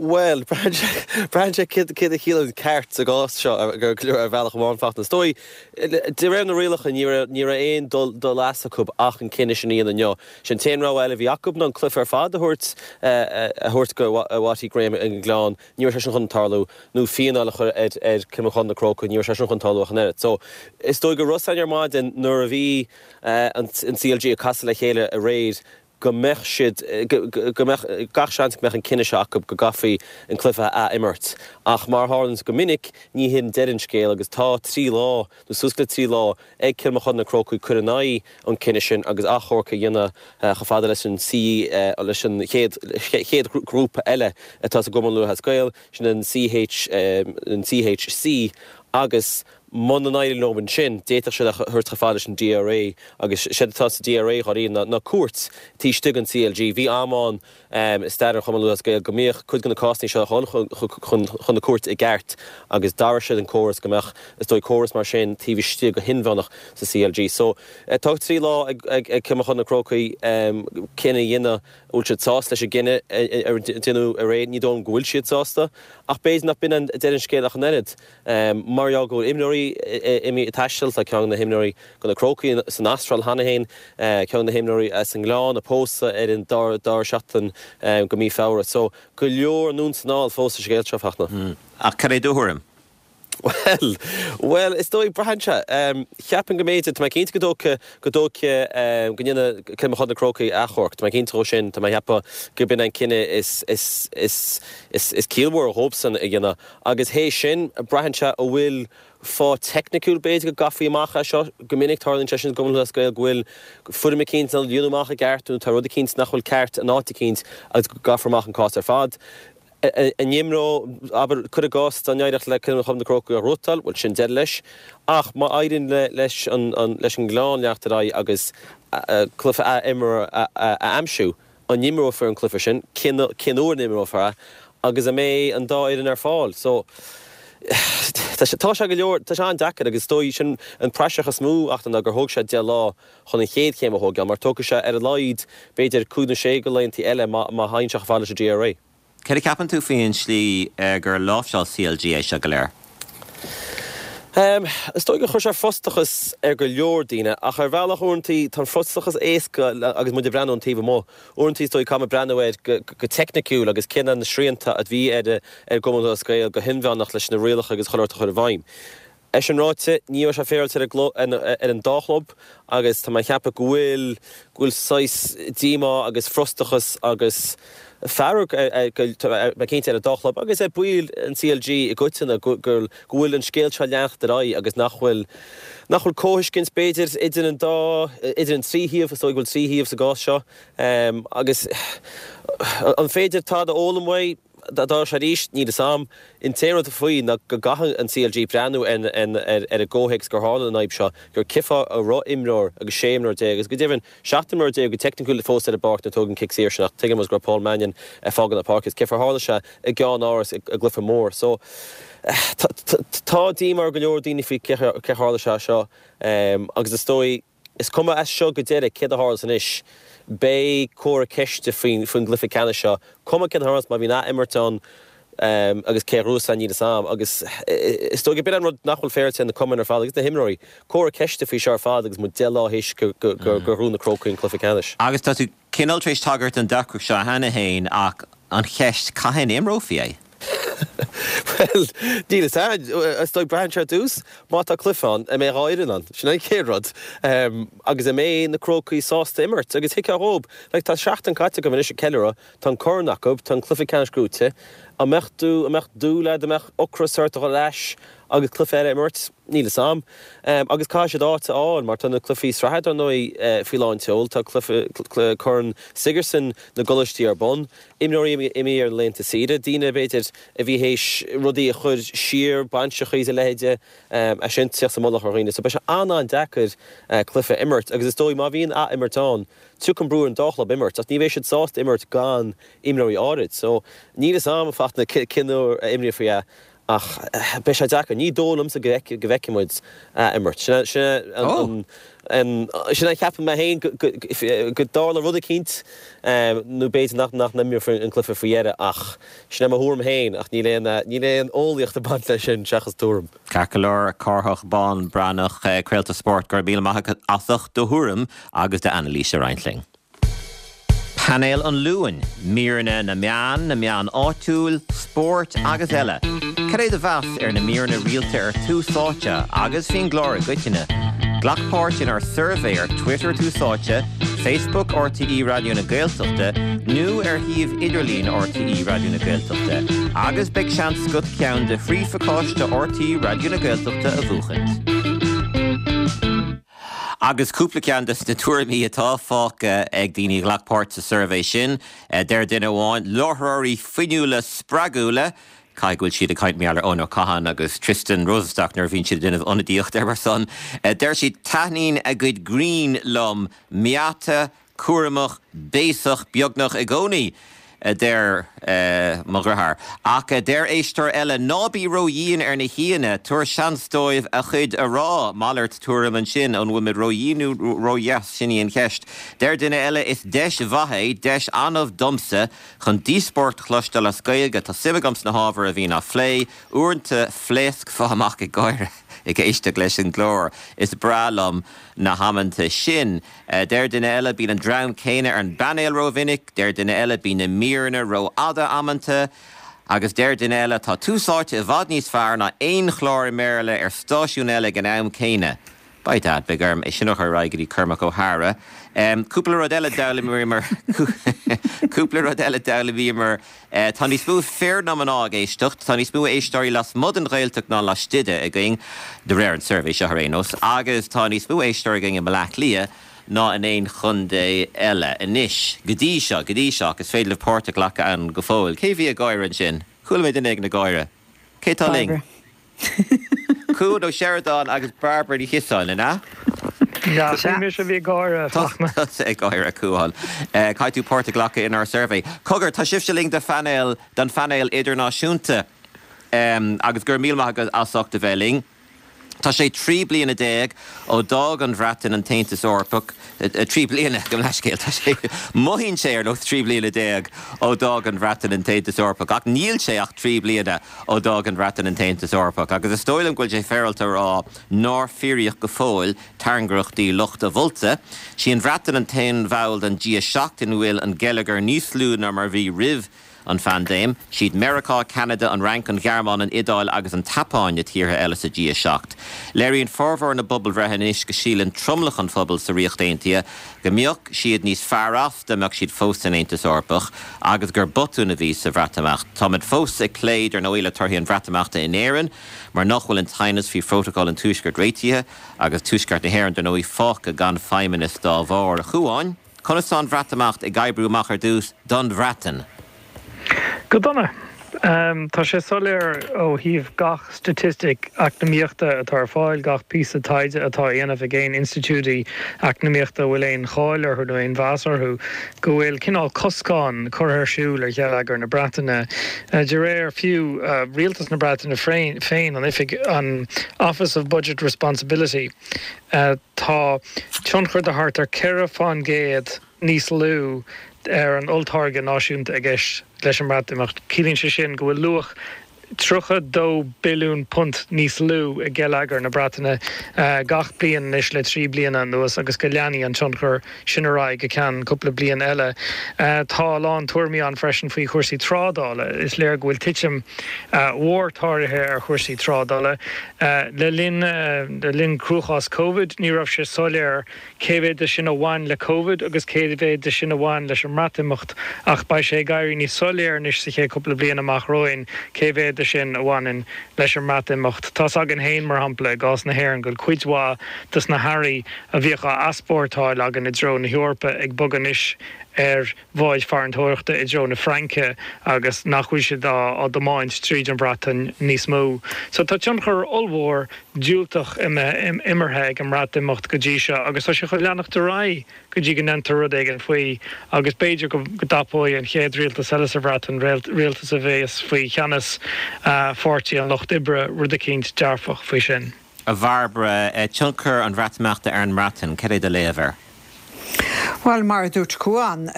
Bhuel, braitheann sé céard a chiallaíonn ceart sa gcás seo ar bhealach amháin, Fachtna. Is dóigh, de réir na rialacha, ní raibh aon dul as acu ach an cinneadh sin a dhéanamh inniu. Sé an t-aon rogha eile a bhí acu ná an cluiche ar fad a thabhairt a thabhairt go Watty Graham ag an nGleann, ní raibh sé sin chun tarlú, nó fíneáil a chur ar Cill Mochuda na Crócaigh, ní raibh sé sin chun tarlú ach an oiread. So, is dóigh go raibh a fhios againn ar maidin nuair a bhí an CLG ag casadh le chéile aréir, go mbeadh siad, go mbeadh gach seans go mbeadh an cinneadh seo acu go gcaithfí an cluiche a ath-imirt. Ach mar a tharlaíonns go minic, ní hin deireadh an scéil agus tá 3 lá, nó suas le 3 lá, ag Cill Mochuda na Crócaigh cur in aghaidh an chinnidh sin agus achomharc a dhéanamh chomh fada leis an C, leis an chéad, chéad ghrúpa eile atá sa gCumann Lúthchleas Gael, sin an CH, an CHC agus Muna n-éiríonn leo ansin, d'fhéadfadh siad é a thabhairt chomh fada leis an DRA agus séard atá sa DRA dháiríre ná cúirt taobh istigh den CLG. Bhí am ann i stair an Chumainn Lúthchleas Gael go mbíodh cuid de na cásanna seo ag dul chun na cúirte i gceart agus d'athraigh siad an córas go mbeadh, is dóigh, córas mar sin taobh istigh go hinmheánach sa CLG. So, tá 3 lá ag Cill Mochuda na Crócaigh cinneadh a dhéanamh an bhfuil siad sásta leis an gcinneadh a deineadh aréir. Ní dóigh liom go bhfuil siad sásta ach b'fhéidir nach b'in an deireadh an scéil ach an oiread. Mar gheall go bhfuil imreoirí imithe ag taisteal, tá ceann de na himreoirí do na Crócaigh san Astráil cheana féin, ceann de na himreoirí as an nGleann ag pósadh ar an dara seachtain de mhí Feabhra. So, go leor anonn 's anall fós sa scéal seo, Fachtna. Ach cad é do thuairim? Bhuel, bhuel, is dóigh, braitheann sé. Cheapfainn go mb'fhéidir, tá mé cinnte go dtógfaidh, go dtógfaidh, go ndéanfaidh Cill Mochuda na Crócaigh achomharc. Tá mé cinnte dhó sin, tá mé ag ceapadh gurb in an cinneadh is, is, is, is, is ciallmhaire dhóibhsan a dhéanamh. Agus théis sin, braitheann sé an bhfuil fáth teicniciúil b'fhéidir go gcaithfí amach é seo. Go minic tarlaíonn sé sin i gCumann Lúthchleas Gael go bhfuil foirm eicínt nár líonadh amach i gceart nó tá rud eicínt nach bhfuil ceart in áit eicínt agus go gcaithfear amach an cás ar fad. An imreodh, abair, cuir i gcás, dá n-éireodh le Cill Mochuda na Crócaigh a ghnóthachtáil, bhuel sin deireadh leis. Ach má éiríonn leis an leis an nGleann leanacht ar aghaidh agus cluiche ath-imeartha a aimsiú, an imreofar an cluiche sin, cén uair a n-imreofar é agus an mbeidh an dá fhoireann ar fáil. So, tá sé, tá sé go leor, tá sé an-deacair agus is dóigh sin an praiseach is mó ach ná gur thóg sé 10 lá chun an chéad chéim a thógáil mar tógfaidh sé ar a laghad b'fhéidir cúig nó sé de laethanta eile má má théann sé chomh fada leis an DRA. Céard a cheapann tú faoin slí gur láimhseáil CLG é seo go léir? Is dóigh gur chuir sé frustrachas ar go leor daoine, ach ar bhealach uaireanta tá an frustrachas éasca agus muid ag breathnú ón taobh amuigh. Uaireanta is dóigh caithfidh muid breathnú air go teicniciúil agus cé na srianta a bhí ar an gCumann Lúthchleas Gael go hinmheánach leis na rialacha agus chuile shórt a chur i bhfeidhm. É sin ráite, ní raibh sé féaráilte ar an dá chlub agus tá mé ag ceapadh go bhfuil go bhfuil saghas díomá agus frustrachas agus fearg ar, tá mé cinnte, ar an dá chlub agus ar bhaill an CLG i gcoitinne go go bhfuil an scéal seo ag leanacht ar aghaidh agus nach bhfuil nach bhfuil comhthuiscint b'fhéidir idir an dá idir an trí thaobh, is dóigh go bhfuil trí thaobh sa gcás seo agus an féidir tada a fhoghlaim uaidh? Dá dtarlódh sé arís, níl fhios a'm. An t-aon rud faoi ná go gcaithfidh an CLG breathnú ar an gcomhthéacs gur tharla an fhadhb seo, gur cibé a raibh imreoir agus 16 imreoir agus go deimhin 17 imreoir go teicniciúil fós ar an bpáirc nuair a tógadh an cic saor sin ach tuigim go raibh Paul Mannion ag fágáil na páirce is cibé ar tharla sé i gceannáras i gcluiche mór. So tá díomá ar go leor daoine faoi cé tharla sé seo agus is dóigh Is cuma as seo go deireadh céard a tharlós anois, beidh comhartha ceiste faoin gcluiche ceannais seo, cuma céard a tharlós má bhíonn ath-imirt ann agus cé a ghnóthós é níl fhios a'm. Agus is dóigh gurb in an rud nach bhfuil féaráilte ar na cumainn ar fad agus na himreoirí, comhartha ceiste faoi seo ar fad agus muid 10 lá théis gur ghnóthaigh na Crócaigh an cluiche ceannais. Agus tá tú cineál tar éis tagairt don deacracht seo cheana féin ach an cheist, cathain a imreofaí é? Bhuel, níl fhios a'm. Is dóigh, braitheann sé ar dtús, má tá cluiche ann, an mbeidh an dá fhoireann ann? Sin an chéad rud. Agus an mbeidh na Crócaigh sásta imirt? Agus thuigfeá dhóib, like, tá seachtain caite acu anois ag ceiliúradh, tá an corn acu, tá an cluiche ceannais gnóite. An mbeadh tú, an mbeadh dúil a'd, an mbeadh ocras ort a dhul ar ais agus cluiche eile a imirt? Níl fhios a'm. Agus caithfidh siad áit a fháil mar tá na cluichí sraithe dar ndóigh faoi lán tseoil, tá cluiche Corn Sigerson na gcoláistí ar bun, imreoirí imithe ar laethanta saoire, daoine b'fhéidir a bhí théis rudaí a chur siar, bainseacha is a leithéide, é sin tíocht sa mullach ar dhaoine. So beidh sé an-an-deacair cluiche a imirt agus is dóigh má bhíonn ath-imirt ann, tiocfaidh an brú ar an dá chlub imirt ach ní bheidh siad sásta imirt gan imreoirí áirid. So níl fhios a'm, a Fachtna, cén uair a imreofaí é. Ach beidh sé deacair. Ní dóigh liomsa go bhfeicfidh muid ath-imirt. Sin a cheapann mé féin, go dtarlóidh rud eicínt, nó b'fhéidir nach n-imreofar an cluiche faoi dheireadh ach sin é mo thuairim féin ach níl aon níl aon eolaíocht ag baint leis sin seachas tuairim. Ceart go leor, Cárthach Bán Breathnach, craoltóir spóirt, go raibh míle maith agat as ucht do thuairim agus d'anailís a roinnt linn. Painéal an Luain, míreanna na meán, na meán áitiúil, spóirt agus eile. Cad é do mheas ar na míreanna rialta ar Tús Áite agus faoin gclár i gcoitinne? Glac páirt inár suirbhé ar Twitter Tús Áite, Facebook RTÉ Raidió na Gaeltachta nó ar shuíomh idirlín RTÉ Raidió na Gaeltachta agus beidh seans agat ceann de thrí phacáiste RTÉ Raidió na Gaeltachta a bhuachaint. Agus cúpla ceann de na tuairimí atá fágtha ag daoine a ghlac páirt sa suirbhé sin, deir duine amháin, láithreoirí fuinniúla spreagúla, caithfidh go bhfuil siad ag caint mar gheall ar Eoin Ó Catháin agus Tristan Rosenstock nuair a bhíonn siad ag déanamh ionadaíocht ar son. Deir siad, taitníonn a gcuid grinn liom, meáite, cúramach, béasach beagnach i gcónaí, a deir mo dheartháir. Ach deir éisteoir eile, ná bí ró-dhian ar na haíonna, tabhair seans dóibh a gcuid a rá. Malairt tuairim ansin, an bhfuil muid ró-dhian nó ró-dheas, sin í an cheist. Deir duine eile, is deis mhaith é, deis annamh domsa, chun díospóireacht a chloisteáil as Gaeilge. Tá suim agam sna hábhair a bhíonn á phlé. Uaireanta phléascfá amach ag gáire ag éisteacht leis an gclár. Is breá liom na hamanta sin. Deir duine eile, bíonn an dream céanna ar an bpainéal rómhinic. Deir duine eile, bíonn na míreanna rófhada amanta. Agus deir duine eile, tá Tús Áite i bhfad níos fearr ná aon chlár i mBéarla ar stáisiún eile ag an am céanna. By dad, beidh orm é sin a chur ar aghaidh go dtí Cormac Ó hEadhra. Cúpla rud eile d'fhoghlaimíomar Cúpla rud eile d'fhoghlaimíomar Tá níos mó fir ná mná ag éisteacht. Tá níos mó éisteoirí lasmuigh den Ghaeltacht ná laistigh de againn, de réir an tsuirbhé seo ar aon nós, agus tá níos mó éisteoirí againn i mBaile Átha Cliath ná in aon chontae eile. Anois, go dtí seo, go dtí seo, ach is féidir libh páirt a ghlacadh ann go fóill. Cé bhí ag gáire ansin? Chuala mé duine éigin ag gáire. Cé tá linn? Bairbre. Cuan Ó Seireadáin agus Bairbre Ní Chiosáin, an ea? Sea, sin mise a bhí ag gáire, a Fachtna. Tusa ag gáire, a Chuáin. Caithfidh tú páirt a ghlacadh inár suirbhé. Cogar, tá sibhse linn do phainéal, don phainéal idirnáisiúnta agus go raibh míle maith agat as ucht a bheith linn. Tá sé 13 bliana ó d'fhág an Bhreatain an tAontas Eorpach, 3 bliana, gabh mo leithscéal, tá sé, mothaíonn sé ar nós 13 bliana ó d'fhág an Bhreatain an tAontas Eorpach, ach níl sé ach 3 bliana ó d'fhág an Bhreatain an tAontas Eorpach, agus is dóigh liom go bhfuil sé féaráilte a rá nár fíoraíodh go fóill tairngreachtaí lucht a mholta. Sí an Bhreatain an t-aon bhall den G7 ina bhfuil an geilleagar níos lú ná mar a bhí roimh an phaindéim. Siad Meiriceá, Ceanada, an Fhrainc, an Ghearmáin, an Iodáil agus an tSeapáin na tíortha eile sa G7. Léiríonn formhór na bpobalbhreitheanna anois go síleann tromlach an phobail sa Ríocht Aontaithe go mbeadh siad níos fearr as dá mbeadh siad fós san Aontas Eorpach agus gur botún a bhí sa Bhreatimeacht. Táimid fós ag plé, dar ndóigh, le torthaí an Bhreatimeachta in Éirinn mar nach bhfuil an t-aighneas faoi Phrótacal an Tuaiscirt réitithe agus Tuaisceart na hÉireann, dar ndóigh, fágtha gan feidhmeannas dá bharr. A Chuáin. Conas tá an Bhreatimeacht ag oibriú amach ar dtús don Bhreatain? Go dona. Tá sé soiléir ó thaobh gach staitistic eacnamaíochta atá ar fáil, gach píosa taighde atá á dhéanamh ag aon institiúidí eacnamaíochta a bhfuil aon cháil orthu nó aon mheas orthu, go bhfuil cineál coscán curtha ar siúl ar gheilleagar na Breataine. De réir fiú rialtas na Breataine féin, an oifig, an Office of Budget Responsibility, Tá tionchar de thart ar 4 fán gcéad níos lú ar an olltáirge náisiúnta i gceist leis an mBreatimeacht. Ciallaíonn sé sin go bhfuil luach £32 billiún níos lú i ngeilleagar na Breataine gach bliain anois le 3 bliana anuas agus go leanfaidh an tionchar sin ar aghaidh go ceann cúpla bliain eile. Tá a lán tuairimí ann freisin faoi chúrsaí trádála. Is léir go bhfuil titim mhór tarlaithe ar chúrsaí trádála. Le linn le linn cruachás Covid, ní raibh sé soiléir cé mhéad de sin a bhain le Covid agus cé mhéad de sin a bhain leis an mBreatimeacht ach beidh sé ag éirí níos soiléire anois sa chéad chúpla bliain amach romhainn cé mhéad de sin a bhaineann leis an mBreatimeacht. Tá's againn féin, mar shampla, i gcás na hÉireann, go bhfuil cuid mhaith dos na hearraí a bhíodh á easpórtáil againn i dtreo na hEorpa ag bogadh anois. ar bháid farantóireachta i dtreo na Fraince agus nach bhfuil siad á dtiomáint tríd an Bhreatain níos mó. So tá tionchar ollmhór diúltach imeartha ag an mBreatimeacht go dtí seo agus tá sé chun leanacht ar aghaidh go dtí go ndéantar rud éigin faoi agus b'fhéidir go dtapóidh an chéad rialtas eile sa Bhreatain, rialtas a bheas faoi cheannas Pháirtí an Lucht Oibre, rud eicínt dearfach faoi sin. A Bhairbre, tionchar an Bhreatimeachta ar an mBreatain, cad é do léamh air? Bhuel, mar a dúirt Cuán,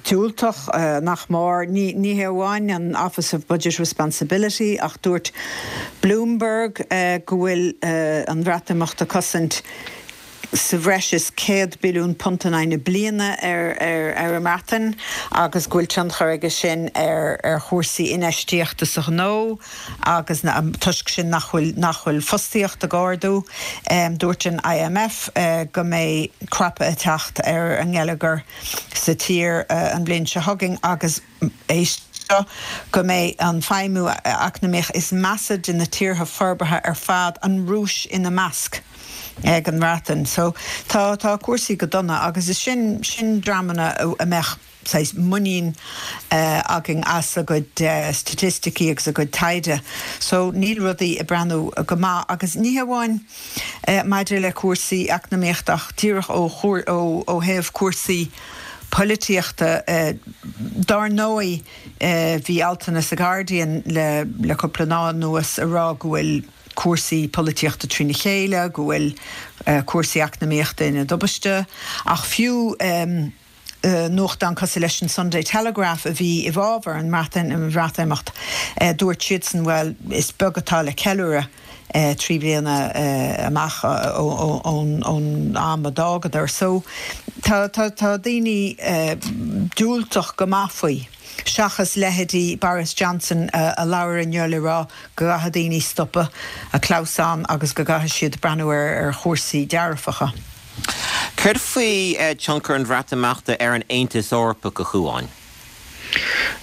diúltach nach mór. Ní hé amháin an Office of Budget Responsibility ach dúirt Bloomberg go bhfuil an Bhreatimeacht ag cosaint sa bhreis is £100 billiún in aghaidh na bliana ar an mBreatain agus go bhfuil tionchar aige sin ar chúrsaí infheistíochta sa ghnó agus toisc sin nach bhfuil nach bhfuil fostaíocht ag ardú. Dúirt an IMF go mbeidh crapadh ag teacht ar an ngeilleagar sa tír an bhliain seo chugainn agus éist seo, go mbeidh an feidhmiú eacnamaíoch is measa de na tíortha forbartha ar fad, an Rúis ina measc, ag an mBreatain. So tá, tá cúrsaí go dona agus is sin, sin dreamanna a mbeadh saghas muinín againn as a gcuid staitisticí agus a gcuid taighde. So níl rudaí ag breathnú go maith agus ní hamháin maidir le cúrsaí eacnamaíochta ach díreach ó, ó thaobh cúrsaí polaitíochta. Dár ndóigh, bhí altanna sa Guardian le cúpla lá anuas ag rá go bhfuil cúrsaí polaitíochta trína chéile, go bhfuil cúrsaí eacnamaíochta ina dtubaiste. Ach fiú nuachtán cosúil leis an Sunday Telegraph a bhí i bhfabhar an Bhreatimeacht, dúirt siadsan, bhuel, is beag atá le ceiliúradh. 3 bliana amach ón am a d'fhágadar. So tá tá daoine diúltach go maith faoi, seachas leithéidí Boris Johnson a labhair inniu le rá go gcaithfidh daoine stopadh ag clamhsán agus go gcaithfidh siad breathnú ar chúrsaí dearfacha. Céard faoi tionchar an Bhreatimeachta ar an Aontas Eorpach, a Chuáin?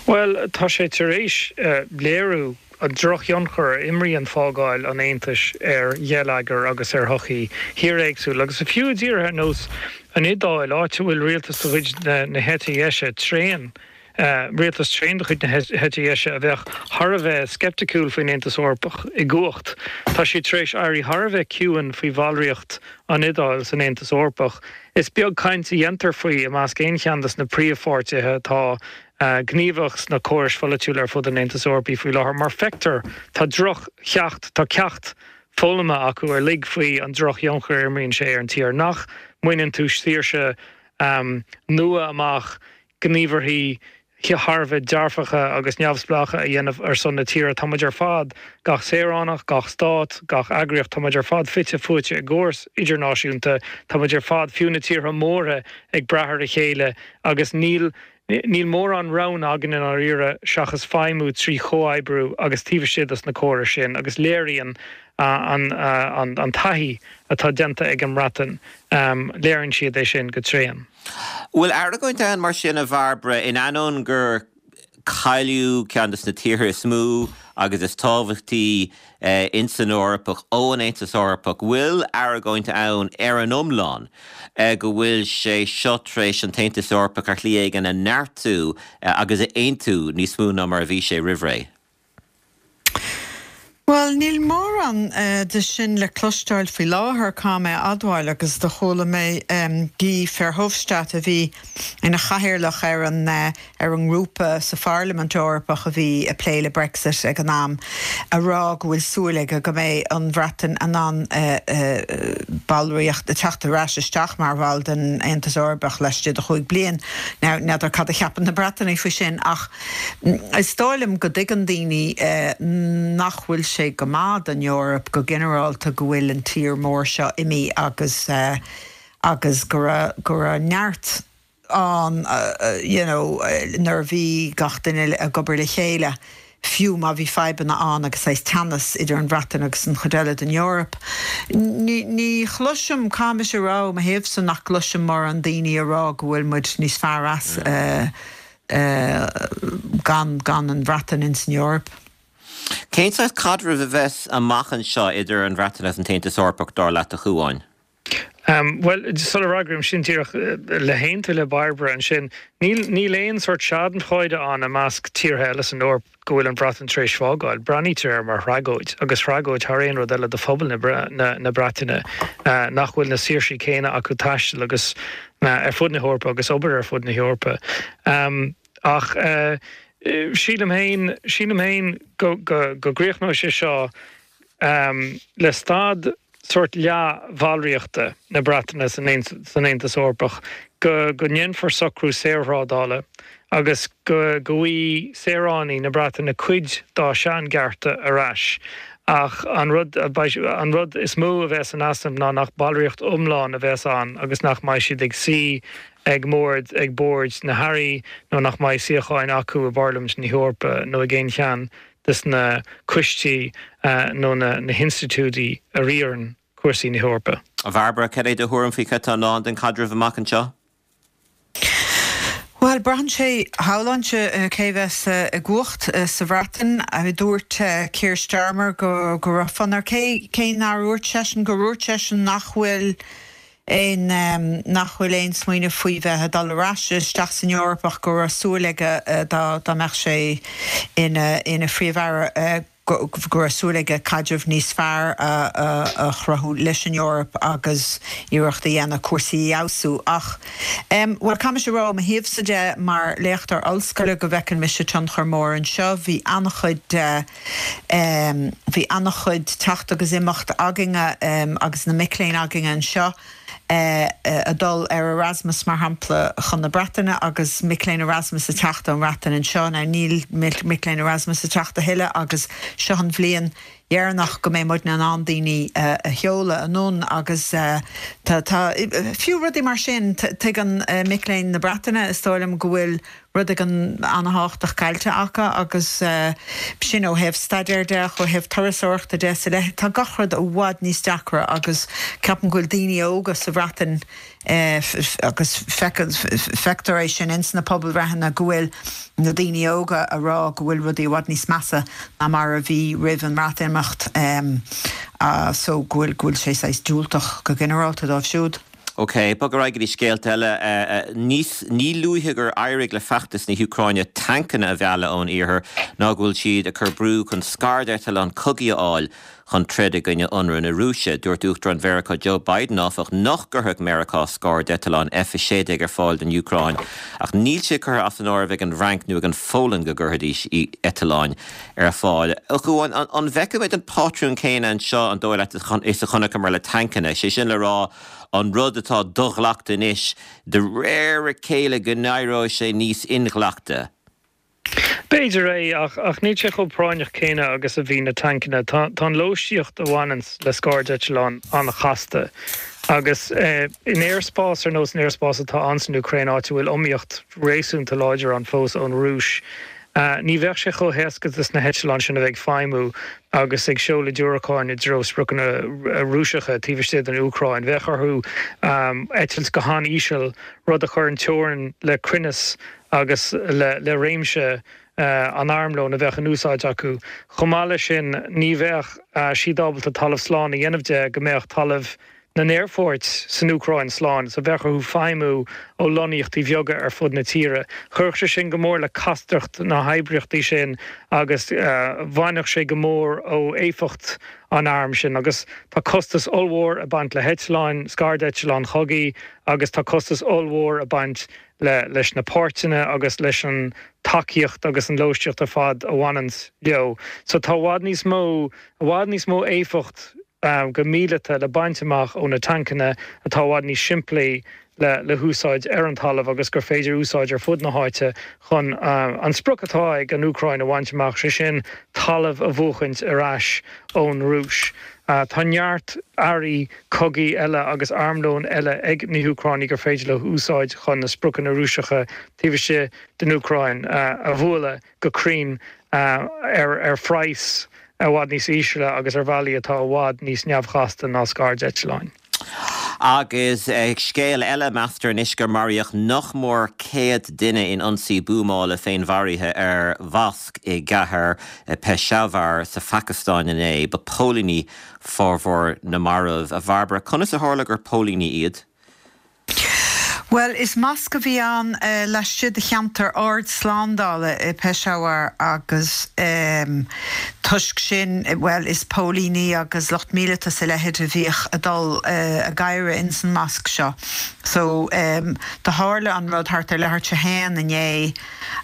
Bhuel, tá sé tar éis léiriú an drochthionchar a imríonn fágáil an Aontais ar gheilleagar agus ar shochaí thír éagsúil, agus fiú i dtíortha ar nós an Iodáil, áit a bhfuil rialtas de chuid na heite dheise tréan, rialtas tréan de chuid na heite dheise a bheadh thar a bheith sceipticiúil faoin Aontas Eorpach i gcumhacht. Tá siad tar éis éirí thar a bheith ciúin faoi bhallraíocht an Iodáil san Aontas Eorpach. Is beag caint a dhéantar faoi i measc aon cheann de na príomhpháirtithe atá gníomhach sna córais pholaitiúla ar fud an Aontais Eorpaigh faoi láthair. Mar feictear, tá droch-cheacht, tá ceacht foghlamtha acu uilig faoi an drochthionchar a imríonn sé ar an tír. Nach mbaineann tú saoirse nua amach, gníomharthaí thar a bheith dearfacha agus neamhspleácha a dhéanamh ar son na tíre. Tá muid ar fad, gach saoránach, gach stát, gach eagraíocht, tá muid ar fad fite fuaite i gcóras idirnáisiúnta. Tá muid ar fad, fiú na tíortha móra, ag brath ar a chéile agus níl níl mórán roghanna againn i ndáiríre seachas feidhmiú trí chomhoibriú agus taobh istigh dos na córais sin agus léiríonn an an taithí atá déanta ag an mBreatain, léiríonn siad é sin go tréan. Bhfuil argóint ann mar sin, a Bhairbre, in ainneoin gur cailleadh ceann de na tíortha is mó agus is tábhachtaí ins an Eoraip ón Aontas Eorpach, bhfuil argóint ann ar an iomlán go bhfuil sé seo tar éis an tAontas Eorpach ar shlí éigin a neartú agus a aontú níos mó ná mar a bhí sé roimh ré? Bhuel, níl mórán de sin le cloisteáil faoi láthair, caithfidh mé a admháil, agus do chuala mé Guy Verhofstadt, a bhí ina chathaoirleach ar an ar an ngrúpa sa Pharlaimint Eorpach a bhí ag plé le Brexit ag an am, a rá go bhfuil súil aige go mbeidh an Bhreatain in ann ballraíocht, teacht ar ais isteach mar bhall den Aontas Eorpach laistigh de chúig bliain. Now, n'fheadar cad a cheapann na Breatanaigh faoi sin, ach. Is dóigh liom go dtuigeann daoine nach bhfuil sé go maith don Eoraip go ginearálta go bhfuil an tír mór seo imithe agus agus go raibh go raibh neart ann you know nuair a bhí gach duine ag obair le chéile fiú má bhí fadhbanna ann agus saghas teannas idir an Bhreatain agus an chuid eile den Eoraip. Ní ní chloisim, caithfidh mise a rá ó mo thaobhsa nach gcloisim mórán daoine a rá go bhfuil muid níos fearr as gan gan an Bhreatain ins an Eoraip. Cén saghas caidrimh a bheas amach anseo idir an Bhreatain agus an tAontas Eorpach, dar leat, a Chuáin? Bhuel, sula bhfreagraím sin díreach le haontú le Bairbre ansin, níl, níl aon sórt schadenfreude ann i measc tíortha eile san Eoraip go bhfuil an Bhreatain tar éis fágáil. Breathnaítear air mar thragóid, agus tragóid thar aon rud eile do phobal na, na Breataine nach bhfuil na saoirsí céanna acu taisteal agus ar fud na hEorpa agus obair ar fud na hEorpa. Ach sílim féin, sílim féin go, go, go gcríochnóidh sé seo le staid sórt leath-bhallraíochta na Breataine san Aontas Eorpach, go ndéanfar socrú saorthrádála agus go bhfaighidh saoránaigh na Breataine cuid dá seanchearta ar ais. Ach an rud an rud is mó a bheas in easnamh ná nach ballraíocht iomlán a bheas ann agus nach mbeidh siad ag suí ag mbord ag bord na hairí nó nach mbeidh suíocháin acu i bParlaimint na hEorpa nó ag aon cheann des na coistí nó na hinstitiúidí a riarann cúrsaí na hEorpa. A Bhairbre, cad é do thuairim faoi cad tá i ndán don chaidreamh amach anseo? Bhuel, braitheann sé, shamhlóinnse, cé bheas i gcumhacht sa Bhreatain. Dúirt Keir Starmer go raibh fonn air, cé nár dhúirt seisean, gur dhúirt seisean nach bhfuil aon, nach bhfuil aon smaoineamh faoi bheith ag dul ar ais isteach san Eoraip ach go raibh súil aige dá dá mbeadh sé ina ina Phríomh-Aire go go raibh súil aige caidreamh níos fearr a a chruthú leis an Eoraip agus iarracht a dhéanamh cúrsaí a fheabhsú. Ach bhuel caithfidh mise a rá ó mo thaobhsa de mar léachtóir ollscoile go bhfeiceann mise tionchar mór anseo. Bhí an-chuid de Bhí an-chuid teacht agus imeacht againne agus na mic léinn againne anseo ag dul ar Erasmus mar shampla chun na Breataine agus mic léinn Erasmus ag teacht ón mBreatain anseo. Now níl mic léinn Erasmus ag teacht a thuilleadh agus seo an bhliain dheireanach go mbeidh muidne in ann daoine a sheoladh anonn agus tá, tá, fiú rudaí mar sin, tuigeann mic léinn na Breataine is dóigh liom go bhfuil rud éigin an-thábhachtach caillte acu agus sin ó thaobh staidéir de ach ó thaobh turasóireachta de sa leith tá gach rud i bhfad níos deacra agus ceapaim go bhfuil daoine óga sa Bhreatain agus feictear é sin ins na pobalbhreitheanna go bhfuil na daoine óga a rá go bhfuil rudaí i bhfad níos measa ná mar a bhí roimh an mBreatimeacht so go bhfuil go bhfuil sé saghas diúltach go ginearálta dóibh siúd. Ok, bog ar aghaidh go dtí scéalta eile. Níos, ní luaithe gur éirigh le feachtas na hÚcráine tancanna a mhealladh ón iarthar ná go bhfuil siad ag cur brú chun scairdeitleáin chogaidh a fháil chun troid i gcoinne ionradh na Rúise. Dúirt Uachtarán Mheiriceá Joe Biden, áfach, nach gcuirfeadh Meiriceá scairdeitleáin F-16 ar fáil don Úcráin ach níl sé curtha as an áireamh ag an bhFrainc nó ag an Pholainn go gcuirfidís eitleáin ar fáil. A Chuáin, an bhfeicfimid an pátrún céanna anseo, an dóigh leat, is a chonaiceamar le tancanna, sé sin le rá, an rud atá do-ghlactha anois, de réir a chéile go n-éireoidh sé níos inghlactha? B'fhéidir é, ach níl sé chomh práinneach céanna agus a bhí na tancanna. Tá an lóistíocht a bhaineanns le scairdeitleáin an-chasta, agus in aerspás ar nós an aerspás atá ann san Úcráin, áit a bhfuil iomaíocht réasúnta láidir ann fós ón Rúis, Ní bheadh sé chomh héasca dos na heitleáin sin a bheith ag feidhmiú agus ag seoladh diúracáin i dtreo spriocanna Rúiseacha taobh istigh den Úcráin. Bheadh orthu eitilt go han-íseal, rud a chuireann teorainn le cruinneas agus le réimse an armlóin a bheadh in úsáid acu. Chomh maith leis sin, ní bheadh siad ábalta talamh slán a dhéanamh de go mbeadh talamh na n-aerfort san Úcráin slán, so bheadh orthu feidhmiú ó lonnaíochtaí bheaga ar fud na tíre. Chuirfeadh sé sin go mór le castacht na hoibríochtaí sin agus bhainfeadh sé go mór ó éifeacht an airm sin. Agus tá costas ollmhór ag baint le heitleáin, scairdeitleáin chogaidh agus tá costas ollmhór ag baint le leis na páirteanna agus leis an tacaíocht agus an lóistíocht ar fad a bhaineanns leo. So tá i bhfad níos mó, i bhfad níos mó éifeacht go míleata le baint amach ó na tancanna atá i bhfad níos simplí le húsáid ar an talamh agus gur féidir úsáid ar fud na háite chun an sprioc atá ag an Úcráin a bhaint amach, sé sin talamh a bhuachaint ar ais ón Rúis. Tá neart earraí cogaidh eile agus armlón eile ag na hÚcránaigh gur féidir leo úsáid chun na spriocanna Rúiseacha taobh istigh den Úcráin a bhualadh. go cruinn ar phraghas i bhfad níos ísle agus ar bhealaí atá i bhfad níos neamhchasta ná scairdeitleáin. Agus scéal eile, meastar anois gur maraíodh nach mór 100 duine in ionsaí buamála féinmharaithe ar mhosc i gcathair Peshawar sa Phacastáin inné. Ba póilíní formhór na marbh. A Bhairbre, conas a tharla gur póilíní iad? Bhuel, is mosc a bhí ann laistigh de cheantar ard-slándála i Peshawar agus toisc sin, bhuel, is póilíní agus lucht míleata is a leithéid a bhíodh ag dul ag adhradh ins an mosc seo. So, do tharla an rud thart ar leathuair tar éis a haon inné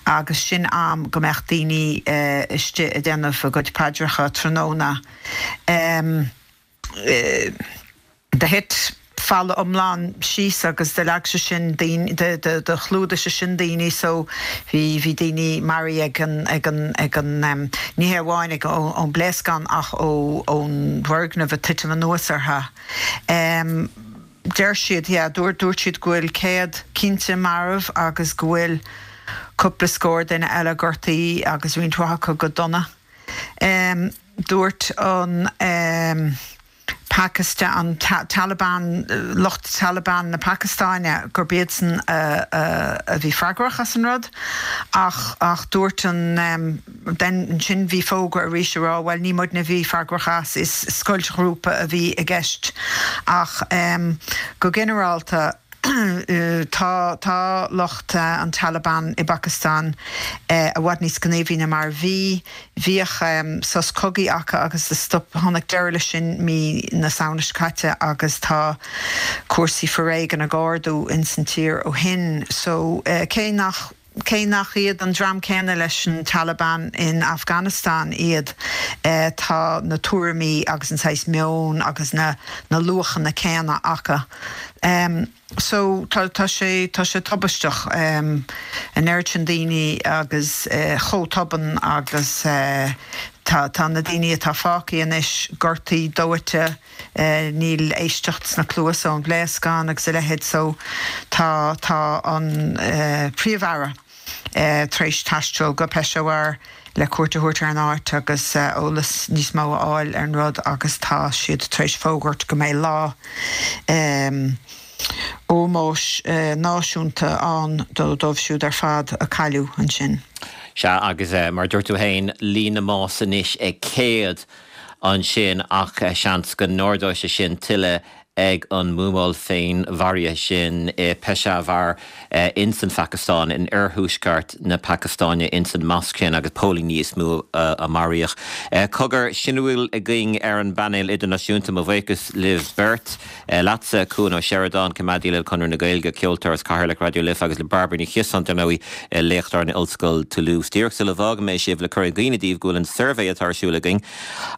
agus sin am go mbeadh daoine istigh ag déanamh a gcuid paidreacha tráthnóna. Do thit falla iomlán síos agus do leag sé sin daoine, do chlúdaigh sé sin daoine so bhí, bhí daoine maraithe ag an, ag an, ag an, ní hé amháin ag, ón bpléascán ach ó, ón bhfoirgneamh ag titim anuas orthu. Deir siad, yeah, dúirt, dúirt siad go bhfuil 100 cinnte marbh agus go bhfuil cúpla scór duine eile gortaithe agus roinnt mhaith acu go dona. Dúirt an Pacastáin, an Taliban, lucht Taliban na Pacastáine gurb iadsan a bhí freagrach as an rud ach ach dúirt an then ansin bhí fógra arís ag rá bhuel ní muidne a bhí freagrach as, is scoiltghrúpa a bhí i gceist ach go ginearálta Tá tá lucht an Taliban i bPacastáin i bhfad níos gníomhaí ná mar a bhí. Bhíodh sos cogaidh acu agus do stop, tháinig deireadh leis sin mí na Samhna seo caite agus tá cúrsaí foréigin ag ardú ins an tír ó shin. So cé nach cé nach iad an dream céanna leis an Taliban in Afghanistan iad, tá na tuairimí agus an saghas meoin agus na na luachanna céanna acu. So tá tá sé tá sé tubaisteach, an oiread sin daoine agus chomh tobann agus tá tá na daoine atá fágtha anois gortaithe, dóite, níl éisteacht sna cluasa ón bpléascán agus a leithéid so tá tá an Príomh-Aire tar éis taisteal go Peshawar le cuairt a thabhairt ar an áit agus eolas níos mó a fháil ar an rud agus tá siad tar éis fógairt go mbeidh lá ómóis náisiúnta ann dóibh siúd ar fad a cailleadh ansin. Sea, agus mar a dúirt tú féin, líon na mbás anois ag 100. ansin ach seans go n-ardóidh sé sin tuilleadh ag an mbuamáil féinmharaithe sin i Peshawar ins an Phacastáin, in oirthuaisceart na Pacastáine, ins an mosc sin agus póilíní is mó a maraíodh. Cogar, sin a bhfuil againn ar an bpainéal idirnáisiúnta. Mo bhuíochas libh beirt. Leatsa, Cuan Ó Seireadáin, coimeádaí le Conradh na Gaeilge, ceoltóir is Cathaoirleach Raidió Life agus le Bairbre Ní Chiosáin, dar ndóigh, léachtóir in Ollscoil Toulouse. Díreach sula bhfágfaidh mé sibh le cur i gcuimhne daoibh go bhfuil an suirbhé atá ar siúl againn,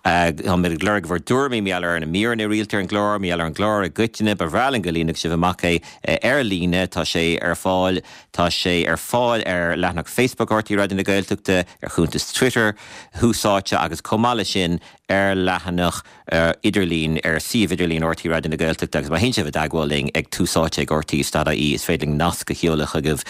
táimid ag lorg bhur dtuairimí mar gheall ar na míreanna rialta ar an gclár, mar gheall ar an gclár i gcoitinne. Ba bhreá linn go líonfadh sibh amach é ar líne. Tá sé ar fáil Tá sé ar fáil ar leathanach Facebook RTÉ Raidió na Gaeltachta, ar chuntas Twitter Thús Áite agus chomh maith leis sin ar leathanach idirlín ar suíomh idirlín RTÉ Raidió na Gaeltachta agus má théann sibh i dteagmháil linn ag túsáite ag rte.ie is féidir linn nasc a sheoladh chugaibh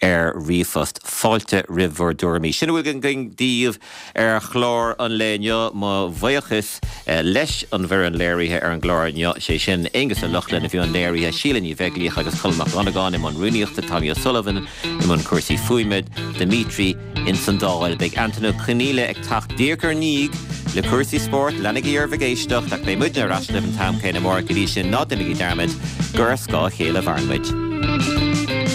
ar ríomhphost. Fáilte roimh bhur dtuairimí. Sin a bhfuil againn daoibh ar chlár an lae inniu. Mo bhuíochas leis an bhfoireann léirithe ar an gclár inniu, sé sin Aonghus Ó Lochlainn i mbun léirithe, Síle Ní Bheaglaoich agus Colm Mac Dhonnagáin i mbun rúnaíochta, Tommy O'Sullivan i mbun cúrsaí fuaime, Dimitri Ins an Dáil, beidh Antain Ó Conghaile ag teacht díreach ár ndiaidh le cúrsaí spóirt. Leanaigí oraibh ag éisteacht ach beidh muidne ar ais libh an t-am céanna amárach. Go dtí sin, ná déanaigí dearmad gur ar scáth a chéile a mhaireann muid.